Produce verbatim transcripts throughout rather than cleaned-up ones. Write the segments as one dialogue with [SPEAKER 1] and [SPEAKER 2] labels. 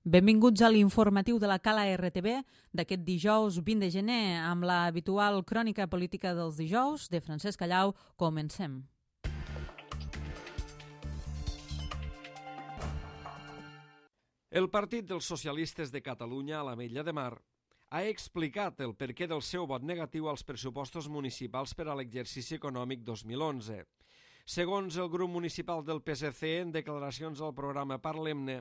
[SPEAKER 1] Benvinguts a l'informatiu de la Cala R T B d'aquest dijous vint de gener amb la habitual crònica política dels dijous de Francesc Callau. Comencem.
[SPEAKER 2] El Partit dels Socialistes de Catalunya a l'Ametlla de Mar ha explicat el perquè del seu vot negatiu als pressupostos municipals per a l'exercici econòmic dos mil onze. Segons el grup municipal del P S C, en declaracions al programa Parlem-ne,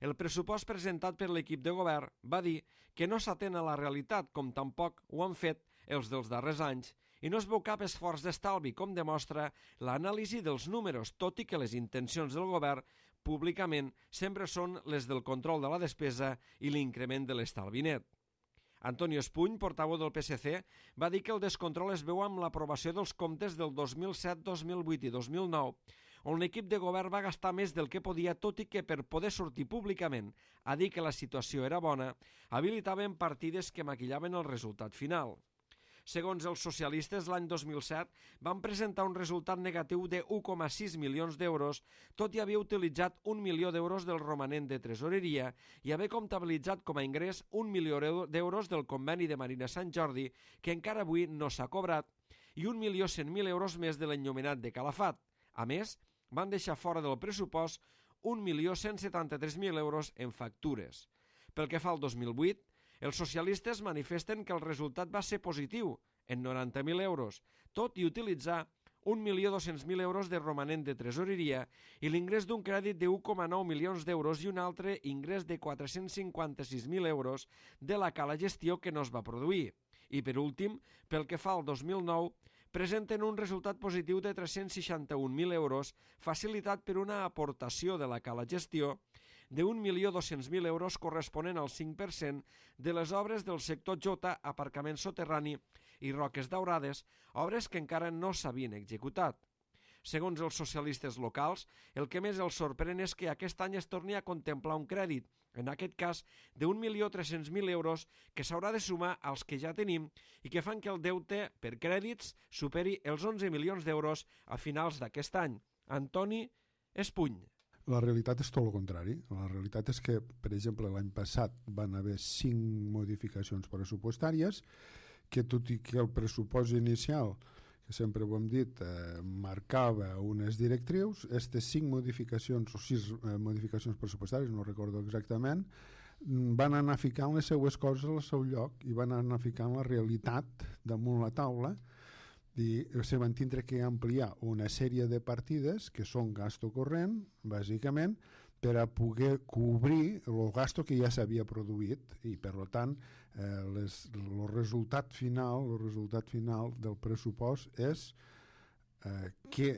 [SPEAKER 2] el pressupost presentat per l'equip de govern va dir que no s'atén a la realitat, com tampoc ho han fet els dels darrers anys, i no es veu cap esforç d'estalvi, com demostra l'anàlisi dels números, tot i que les intencions del govern públicament sempre són les del control de la despesa i l'increment de l'estalvi net. Antonio Espuny, portaveu del P S C, va dir que el descontrol es veu amb l'aprovació dels comptes del dos mil set, dos mil vuit i dos mil nou, on l'equip de govern va gastar més del que podia, tot i que per poder sortir públicament a dir que la situació era bona, habilitaven partides que maquillaven el resultat final. Segons els socialistes, l'any dos mil set van presentar un resultat negatiu de u coma sis milions d'euros, tot i haver utilitzat un milió d'euros del romanent de tresoreria i haver comptabilitzat com a ingrés un milió d'euros del conveni de Marina Sant Jordi, que encara avui no s'ha cobrat, i un milió cent mil euros més de l'enllumenat de Calafat. A més, van deixar fora del pressupost un milió cent setanta-tres mil euros en factures. Pel que fa al dos mil vuit, els socialistes manifesten que el resultat va ser positiu, en noranta mil euros, tot i utilitzar un milió dos-cents mil euros de romanent de tresoreria i l'ingrés d'un crèdit de u coma nou milions d'euros i un altre ingrés de quatre-cents cinquanta-sis mil euros de la cala gestió que no es va produir. I per últim, pel que fa al dos mil nou, presenten un resultat positiu de tres-cents seixanta-un mil euros facilitat per una aportació de la cala gestió d'un milió dos-cents mil euros corresponent al cinc per cent de les obres del sector J, aparcament soterrani i Roques Daurades, obres que encara no s'havien executat. Segons els socialistes locals, el que més els sorprèn és que aquest any es torni a contemplar un crèdit, en aquest cas d'un milió tres-cents mil euros, que s'haurà de sumar als que ja tenim i que fan que el deute per crèdits superi els onze milions d'euros a finals d'aquest any. Antoni Espuny.
[SPEAKER 3] La realitat és tot el contrari. La realitat és que, per exemple, l'any passat van haver cinc modificacions pressupostàries, que tot i que el pressupost inicial, que sempre ho hem dit, eh, marcava unes directrius, aquestes cinc modificacions o sis eh, modificacions pressupostàries, no recordo exactament, van anar ficant les seues coses al seu lloc i van anar ficant la realitat damunt la taula i se van tindre que ampliar una sèrie de partides que són gasto corrent, bàsicament, per a poder cobrir el gasto que ja s'havia produït i, per tant, eh, les, el resultat final el resultat final del pressupost és eh, que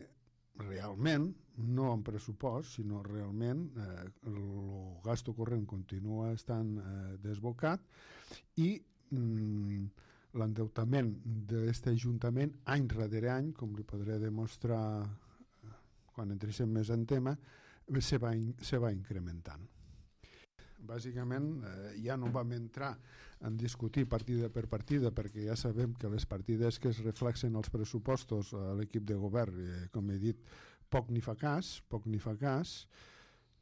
[SPEAKER 3] realment, no en pressupost, sinó realment eh, el gasto corrent continua estant eh, desbocat i mm, l'endeutament d'aquest ajuntament any rere any, com li podré demostrar quan entréssim més en tema, se va, se va incrementant. Bàsicament eh, ja no vam entrar en discutir partida per partida perquè ja sabem que les partides que es reflexen als pressupostos a l'equip de govern, eh, com he dit, poc ni fa cas, poc ni fa cas.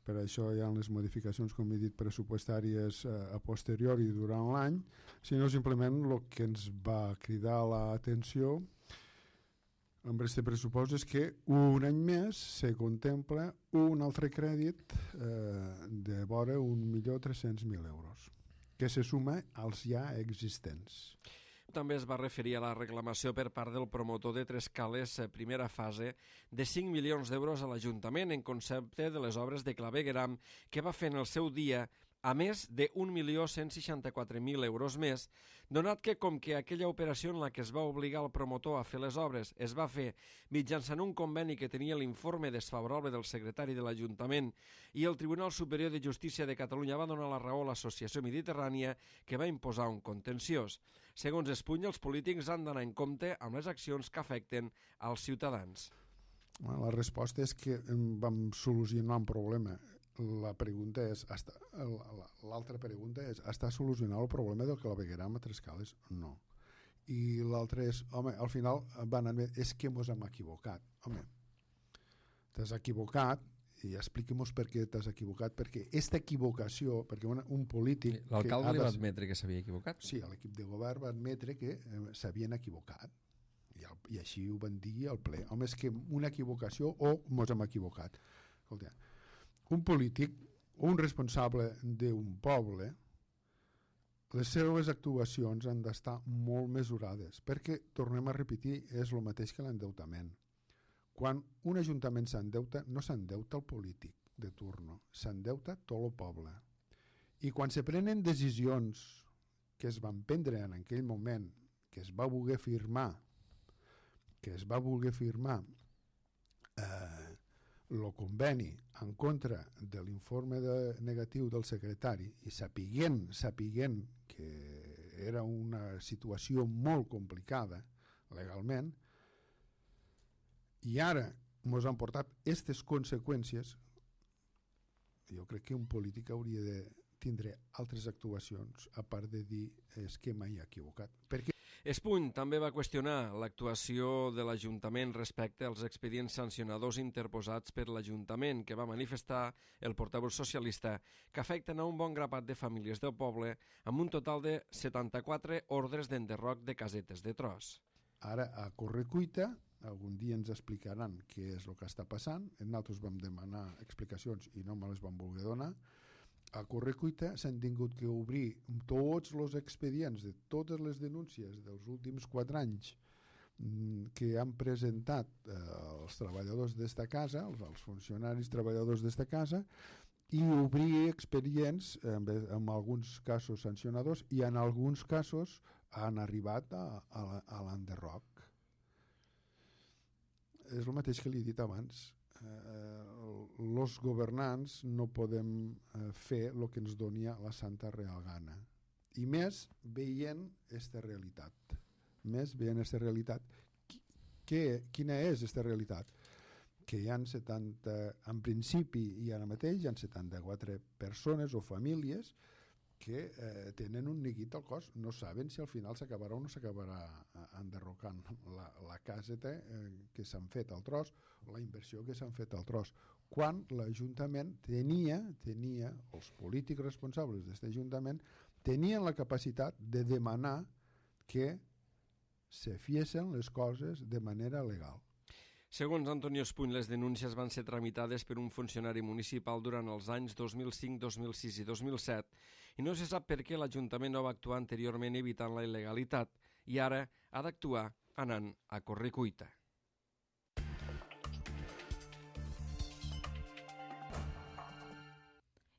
[SPEAKER 3] Per això hi ha les modificacions, com he dit, pressupostàries eh, a posteriori durant l'any, sinó simplement el que ens va cridar l'atenció amb aquest pressupost és que un any més se contempla un altre crèdit eh, de vora un milió tres-cents mil euros, que se suma als ja existents.
[SPEAKER 2] També es va referir a la reclamació per part del promotor de Trescales, primera fase, de cinc milions d'euros a l'Ajuntament en concepte de les obres de clavegueram que va fer en el seu dia, a més d'un milió cent seixanta-quatre mil euros més, donat que com que aquella operació en la que es va obligar el promotor a fer les obres es va fer mitjançant un conveni que tenia l'informe desfavorable del secretari de l'Ajuntament i el Tribunal Superior de Justícia de Catalunya va donar la raó a l'Associació Mediterrània que va imposar un contenciós. Segons Espuny, els polítics han d'anar en compte amb les accions que afecten als ciutadans.
[SPEAKER 3] La resposta és que vam solucionar un problema. La pregunta és, l'altra pregunta és, està solucionat el problema del clavegueram a Trescales? No. I l'altra és, home, al final van anar, és que mos hem equivocat. Home, t'has equivocat i expliquem-nos per què t'has equivocat, perquè aquesta equivocació, perquè un, un polític...
[SPEAKER 2] L'alcalde li va admetre que s'havia equivocat?
[SPEAKER 3] Sí, l'equip de govern va admetre que eh, s'havien equivocat. I, el, I així ho van dir al ple. Home, és que una equivocació o mos hem equivocat. Escolta, un polític o un responsable d'un poble, les seves actuacions han d'estar molt mesurades, perquè, tornem a repetir, és el mateix que l'endeutament. Quan un ajuntament s'endeuta, no s'endeuta el polític de turno, s'endeuta tot el poble. I quan se prenen decisions que es van prendre en aquell moment, que es va voler firmar, que es va voler firmar eh, el conveni en contra de l'informe de negatiu del secretari i sapiguent, sapiguent que era una situació molt complicada legalment, i ara ens han portat aquestes conseqüències, jo crec que un polític hauria de tindre altres actuacions a part de dir és que mai ha equivocat. Perquè
[SPEAKER 2] Espuny també va qüestionar l'actuació de l'Ajuntament respecte als expedients sancionadors interposats per l'Ajuntament, que va manifestar el portaveu socialista, que afecten a un bon grapat de famílies del poble amb un total de setanta-quatre ordres d'enderroc de casetes de tros.
[SPEAKER 3] Ara, a correcuita, algun dia ens explicaran què és el que està passant. Nosaltres vam demanar explicacions i no me les vam voler donar. A correcuita s'han tingut que obrir tots els expedients de totes les denúncies dels últims quatre anys que han presentat eh, els treballadors d'esta casa, els, els funcionaris treballadors d'esta casa, i obrir expedients amb, amb alguns casos sancionadors i en alguns casos han arribat a, a, a l'enderroc. És el mateix que li he dit abans. Els eh, governants no podem eh, fer el que ens doni la santa real gana. I més veient aquesta realitat. Més veient aquesta realitat. Qui, quina és aquesta realitat? Que hi ha setanta, en principi i ara mateix hi ha setanta-quatre persones o famílies que eh, tenen un neguit al cos, no saben si al final s'acabarà o no s'acabarà enderrocant la, la caseta eh, que s'han fet al tros, la inversió que s'han fet al tros, quan l'Ajuntament tenia, tenia, els polítics responsables d'aquest Ajuntament, tenien la capacitat de demanar que se fiessin les coses de manera legal.
[SPEAKER 2] Segons Antonio Espuny, les denúncies van ser tramitades per un funcionari municipal durant els anys dos mil cinc, dos mil sis i dos mil set i no se sap per què l'Ajuntament no va actuar anteriorment evitant la il·legalitat i ara ha d'actuar anant a correcuita.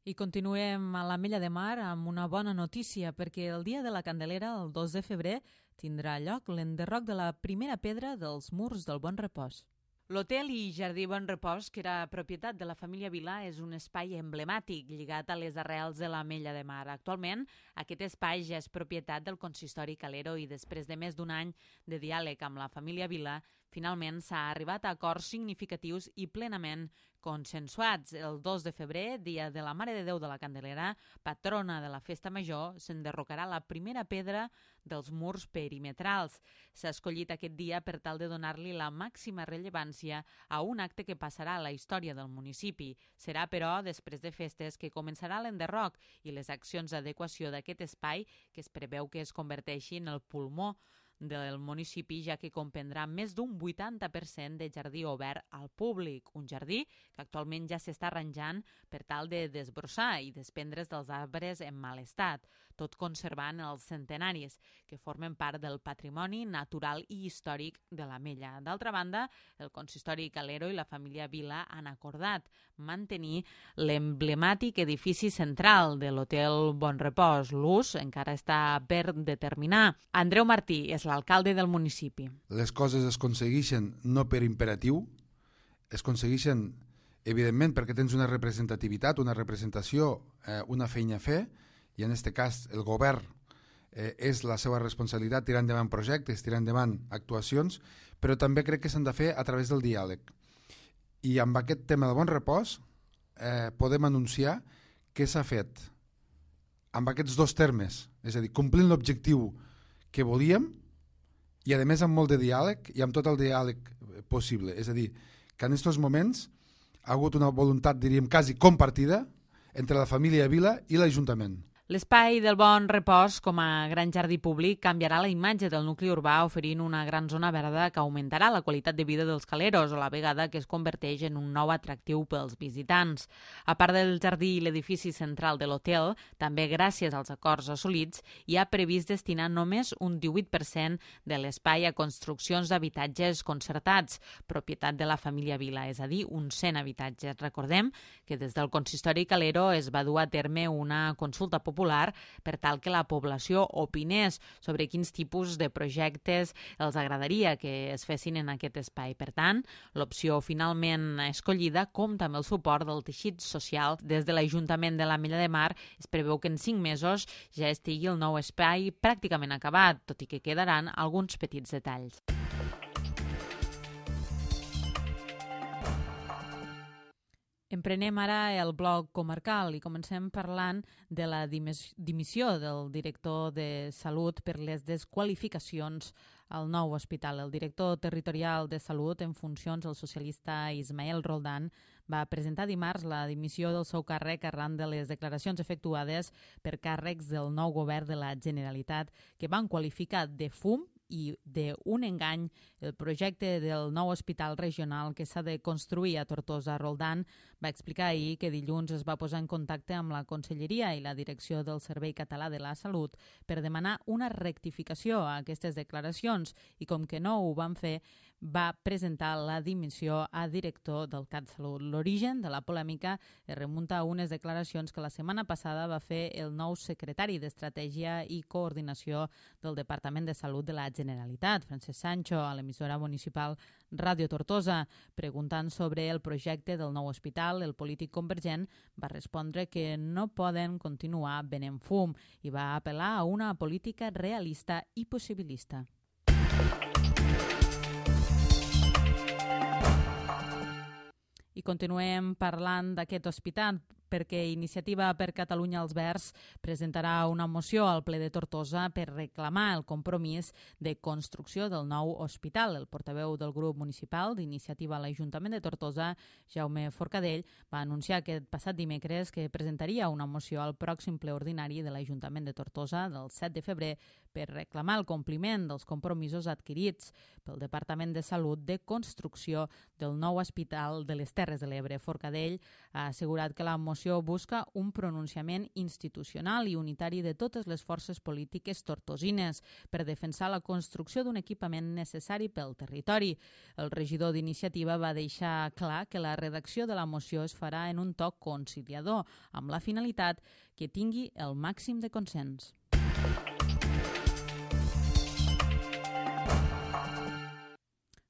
[SPEAKER 1] I continuem a l'Ametlla de Mar amb una bona notícia, perquè el dia de la Candelera, el dos de febrer, tindrà lloc l'enderroc de la primera pedra dels murs del Bon Repòs. L'Hotel i Jardí Bon Repòs, que era propietat de la família Vilà, és un espai emblemàtic lligat a les arrels de l'Ametlla de Mar. Actualment, aquest espai ja és propietat del consistori Calero i després de més d'un any de diàleg amb la família Vilà, finalment s'ha arribat a acords significatius i plenament consensuats. El dos de febrer, dia de la Mare de Déu de la Candelera, patrona de la Festa Major, s'enderrocarà la primera pedra dels murs perimetrals. S'ha escollit aquest dia per tal de donar-li la màxima rellevància a un acte que passarà a la història del municipi. Serà, però, després de festes que començarà l'enderroc i les accions d'adequació d'aquest espai, que es preveu que es converteixi en el pulmó del municipi, ja que comprendrà més d'un vuitanta per cent de jardí obert al públic, un jardí que actualment ja s'està arranjant per tal de desbrossar i desprendre's dels arbres en mal estat, tot conservant els centenaris, que formen part del patrimoni natural i històric de l'Ametlla. D'altra banda, el consistori Calero i la família Vilà han acordat mantenir l'emblemàtic edifici central de l'Hotel Bon Repòs. L'ús encara està per determinar. Andreu Martí és l'alcalde del municipi.
[SPEAKER 4] Les coses es aconsegueixen no per imperatiu, es aconsegueixen, evidentment, perquè tens una representativitat, una representació, eh, una feina a fer, i en aquest cas el govern eh, és la seva responsabilitat tirar endavant projectes, tirar endavant actuacions, però també crec que s'han de fer a través del diàleg. I amb aquest tema de Bon Repòs eh, podem anunciar que s'ha fet amb aquests dos termes, és a dir, complint l'objectiu que volíem i a més amb molt de diàleg i amb tot el diàleg possible. És a dir, que en aquests moments ha hagut una voluntat, diríem, quasi compartida entre la família Vila i l'Ajuntament.
[SPEAKER 1] L'espai del Bon Repòs, com a gran jardí públic, canviarà la imatge del nucli urbà oferint una gran zona verda que augmentarà la qualitat de vida dels caleros, a la vegada que es converteix en un nou atractiu pels visitants. A part del jardí i l'edifici central de l'hotel, també gràcies als acords assolits, hi ha previst destinar només un divuit per cent de l'espai a construccions d'habitatges concertats, propietat de la família Vila, és a dir, uns cent habitatges. Recordem que des del consistori calero es va dur a terme una consulta popular popular per tal que la població opinés sobre quins tipus de projectes els agradaria que es fessin en aquest espai. Per tant, l'opció finalment escollida compta amb el suport del teixit social. Des de l'Ajuntament de l'Ametlla de Mar es preveu que en cinc mesos ja estigui el nou espai pràcticament acabat, tot i que quedaran alguns petits detalls. Emprenem ara el bloc comarcal i comencem parlant de la dimissió del director de Salut per les desqualificacions al nou hospital. El director territorial de Salut en funcions, el socialista Ismael Roldán, va presentar dimarts la dimissió del seu càrrec arran de les declaracions efectuades per càrrecs del nou govern de la Generalitat que van qualificar de fum i d'un engany el projecte del nou hospital regional que s'ha de construir a Tortosa. Roldán va explicar ahir que dilluns es va posar en contacte amb la Conselleria i la Direcció del Servei Català de la Salut per demanar una rectificació a aquestes declaracions i com que no ho van fer, va presentar la dimissió a director del CatSalut. L'origen de la polèmica es remunta a unes declaracions que la setmana passada va fer el nou secretari d'Estratègia i Coordinació del Departament de Salut de la Generalitat, Francesc Sancho, a l'emissora municipal Ràdio Tortosa. Preguntant sobre el projecte del nou hospital, el polític convergent va respondre que no poden continuar venent fum i va apel·lar a una política realista i possibilista. I continuem parlant d'aquest hospital perquè Iniciativa per Catalunya als Verds presentarà una moció al ple de Tortosa per reclamar el compromís de construcció del nou hospital. El portaveu del grup municipal d'Iniciativa a l'Ajuntament de Tortosa, Jaume Forcadell, va anunciar aquest passat dimecres que presentaria una moció al pròxim ple ordinari de l'Ajuntament de Tortosa del set de febrer per reclamar el compliment dels compromisos adquirits pel Departament de Salut de construcció del nou hospital de les Terres de l'Ebre. Forcadell ha assegurat que la moció busca un pronunciament institucional i unitari de totes les forces polítiques tortosines per defensar la construcció d'un equipament necessari pel territori. El regidor d'Iniciativa va deixar clar que la redacció de la moció es farà en un toc conciliador, amb la finalitat que tingui el màxim de consens.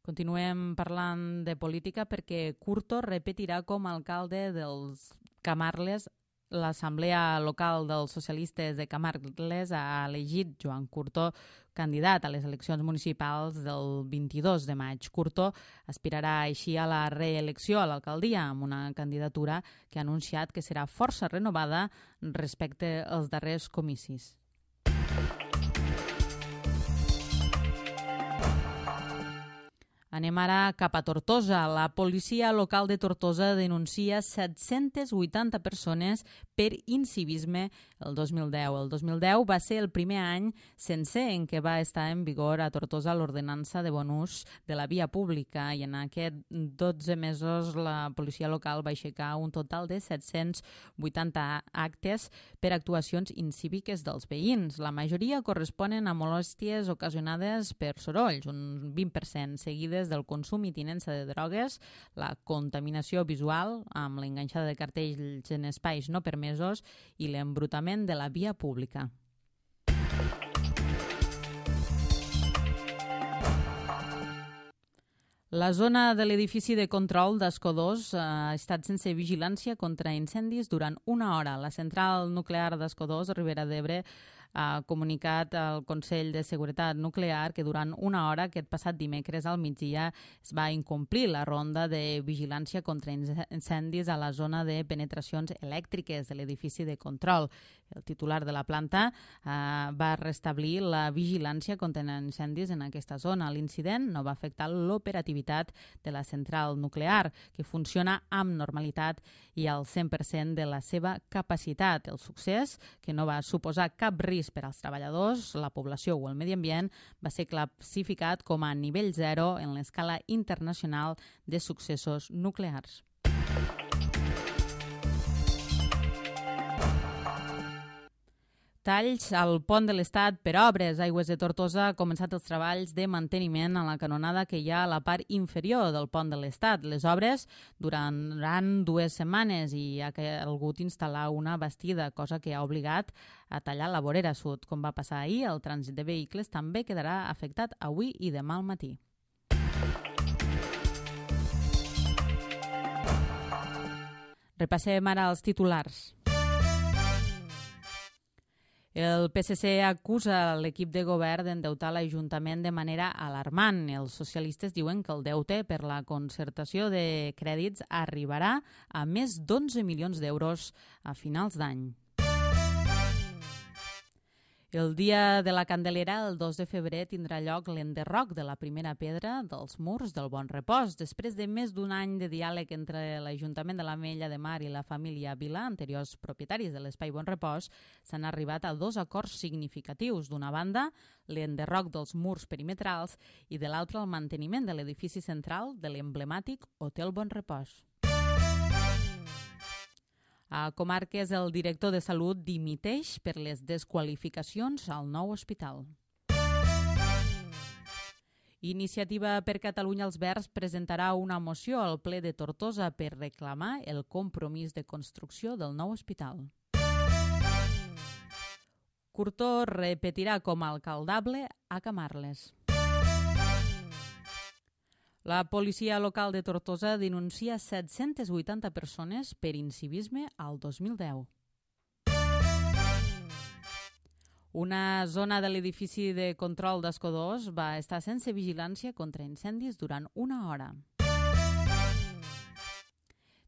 [SPEAKER 1] Continuem parlant de política perquè Curto repetirà com a alcalde dels Camarles. L'Assemblea Local dels Socialistes de Camarles ha elegit Joan Curto candidat a les eleccions municipals del vint-i-dos de maig. Curto aspirarà així a la reelecció a l'alcaldia amb una candidatura que ha anunciat que serà força renovada respecte als darrers comicis. Anem ara cap a Tortosa. La policia local de Tortosa denuncia set-centes vuitanta persones per incivisme el dos mil deu. El dos mil deu va ser el primer any sencer en què va estar en vigor a Tortosa l'ordenança de bon ús de la via pública i en aquests dotze mesos la policia local va aixecar un total de set-cents vuitanta actes per actuacions incíviques dels veïns. La majoria corresponen a molèsties ocasionades per sorolls, un vint per cent, seguides del consum i tinença de drogues, la contaminació visual amb l'enganxada de cartells en espais no permesos i l'embrutament de la via pública. La zona de l'edifici de control d'Escó dos ha estat sense vigilància contra incendis durant una hora. La central nuclear d'Escó dos, Ribera d'Ebre, Ha comunicat al Consell de Seguretat Nuclear que durant una hora aquest passat dimecres al migdia es va incomplir la ronda de vigilància contra incendis a la zona de penetracions elèctriques de l'edifici de control. El titular de la planta eh, va restablir la vigilància contra incendis en aquesta zona. L'incident no va afectar l'operativitat de la central nuclear, que funciona amb normalitat i al cent per cent de la seva capacitat. El succés, que no va suposar cap risc per als treballadors, la població o el medi ambient, va ser classificat com a nivell zero en l'escala internacional de successos nuclears. Talls al pont de l'Estat per obres. Aigües de Tortosa ha començat els treballs de manteniment a la canonada que hi ha a la part inferior del pont de l'Estat. Les obres duraran dues setmanes i ha calgut instal·lar una bastida, cosa que ha obligat a tallar la vorera sud. Com va passar ahir, el trànsit de vehicles també quedarà afectat avui i demà al matí. Repassem ara els titulars. El P S C acusa l'equip de govern d'endeutar l'Ajuntament de manera alarmant. Els socialistes diuen que el deute per la concertació de crèdits arribarà a més d'onze milions d'euros a finals d'any. El dia de la Candelera, el dos de febrer, tindrà lloc l'enderroc de la primera pedra dels murs del Bon Repòs. Després de més d'un any de diàleg entre l'Ajuntament de l'Ametlla de Mar i la família Vila, anteriors propietaris de l'Espai Bon Repòs, s'han arribat a dos acords significatius. D'una banda, l'enderroc dels murs perimetrals i de l'altra, el manteniment de l'edifici central de l'emblemàtic Hotel Bon Repòs. A Comarques, el director de Salut dimiteix per les desqualificacions al nou hospital. Iniciativa per Catalunya Els Verds presentarà una moció al ple de Tortosa per reclamar el compromís de construcció del nou hospital. Curtó repetirà com a alcaldable a Camarles. La policia local de Tortosa denuncia set-centes vuitanta persones per incivisme al dos mil deu. Una zona de l'edifici de control d'Escó dos va estar sense vigilància contra incendis durant una hora.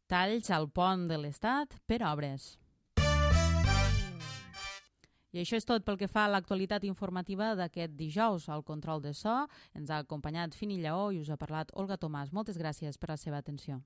[SPEAKER 1] Talls al pont de l'Estat per obres. I això és tot pel que fa a l'actualitat informativa d'aquest dijous. Al control de so ens ha acompanyat Fini Lleó i us ha parlat Olga Tomàs. Moltes gràcies per la seva atenció.